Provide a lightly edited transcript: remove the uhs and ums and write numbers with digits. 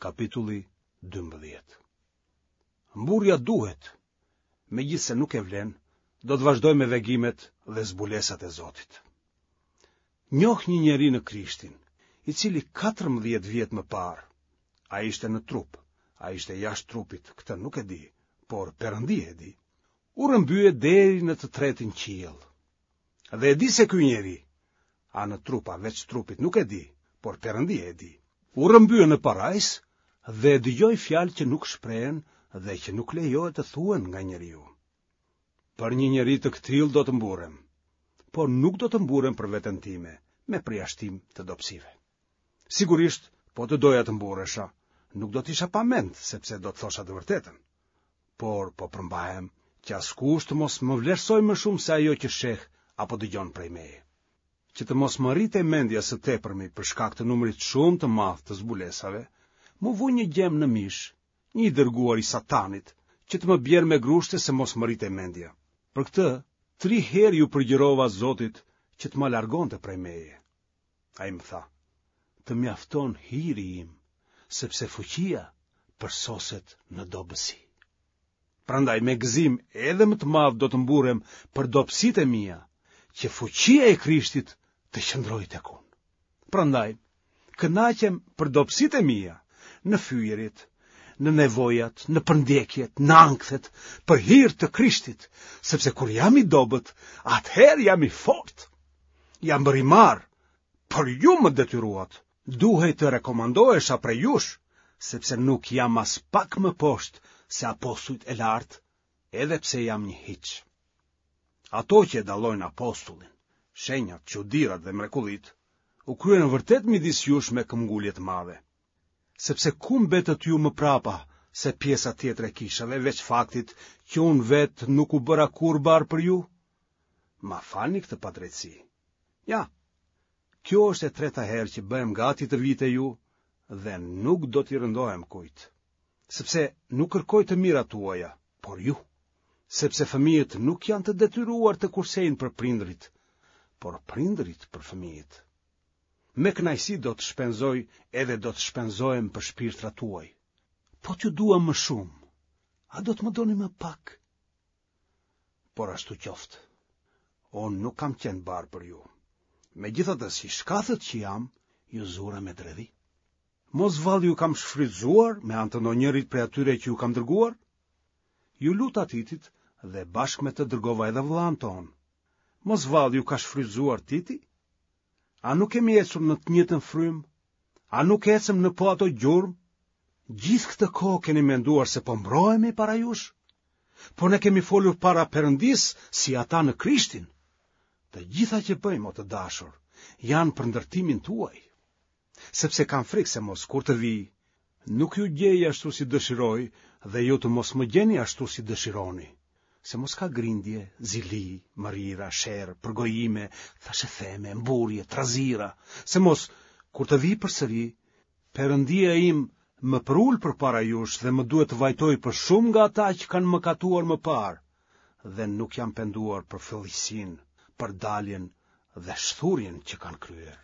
Kapitulli 12. Mburrja duhet, megjithëse nuk e vlen, do të vazhdoj me vegimet dhe zbulesat e Zotit. Njoh një njeri në Krishtin, i cili 14 vjet më parë, a ishte në trup, a ishte jashtë trupit, këtë nuk e di, por Perëndia e di, u rrëmbye deri në të tretin qiell. Dhe e di se ky njeri, a në trup a veç trupit nuk e di, por Perëndia e di, u rrëmbye në parajsë dhe dëgjoi fjalë që nuk shprehen dhe që nuk lejohet të thuhen nga njeriu. Për një njeri të këtillë do të mburrem, por nuk do të mburrem për veten time, me përjashtim të dobësive. Sigurisht, po të doja të mburresha, nuk do të isha pa mend, sepse do të thosha të vërtetën. Por po përmbahem që askush të mos më vlerësojë më shumë se ajo që sheh apo dëgjon prej meje. Që të mos më rritej mendja së tepërmi për shkak të numrit shumë të madh të zbulesave, m'u vu një gjemb në mish, një i dërguar i Satanit, që të më bjerë me grushte se mos më rritej mendja. Për këtë, tri herë iu përgjërova Zotit që të ma largonte prej meje. Ai më tha, të mjafton hiri im, sepse fuqia përsoset në dobësi. Prandaj me gëzim edhe më të madh do të mburrem për dobësitë e mia, që fuqia e Krishtit të qëndrojë tek unë. Prandaj, kënaqem për dobësitë e mia, në fyerjet, në nevojat, në përndjekjet, në ankthet, për hir të Krishtit, sepse kur jam i dobët, atëherë jam i fortë. Jam bërë i marrë, por ju më detyruat. Duhej të rekomandohesha prej jush, sepse nuk jam aspak më poshtë se apostujt e lartë, edhe pse jam një hiç. Ato që e dallojnë apostullin, shenjat, çudirat dhe mrekullitë, u kryen vërtet midis jush me këmbëngulje të madhe. Sepse ku mbetët ju më prapa se pjesa tjetër e kishave, veç faktit që unë vetë nuk u bëra kurrë barrë për ju? Ma falni këtë padrejtësi. Ja, kjo është e treta herë që bëhem gati të vij te ju dhe nuk do t'i rëndohem kujt. Sepse nuk kërkoj të mirat tuaja, por ju. Sepse fëmijët nuk janë të detyruar të kursejnë për prindërit, por prindërit për fëmijët. Me kënaqësi do të shpenzoj edhe do të shpenzohem për shpirtrat tuaj. Po t'ju dua më shumë, a do të më doni më pak? Por ashtu qoftë. Unë nuk kam qenë barrë për ju. Megjithatë, si i shkathët që jam, ju zura me dredhi. Mos vallë ju kam shfrytëzuar me anë të ndonjërit prej atyre që ju kam dërguar? Iu luta Titit dhe bashkë me të dërgova edhe vëllanë tonë. Mos vallë ju ka shfrytëzuar Titi? A nuk kemi ecur në të njëjtën frymë? A nuk ecëm në po ato gjurmë? Gjithë këtë kohë keni menduar se po mbrohemi para jush? Por ne kemi folur para Perëndisë si ata në Krishtin. Të gjitha që bëjmë, o të dashur, janë për ndërtimin tuaj. Sepse kam frikë se mos kur të vij, nuk ju gjej ashtu si dëshiroj dhe ju të mos më gjeni ashtu si dëshironi. Se mos ka grindje, zili, mërira, sherr, përgojime, thashetheme, mburrje, trazira, se mos kur të vij përsëri, Perëndia im më përul përpara jush dhe më duhet të vajtoj për shumë nga ata që kanë mëkatuar më parë dhe nuk janë penduar për fëlliqësinë, për daljen dhe shthurjen që kanë kryer.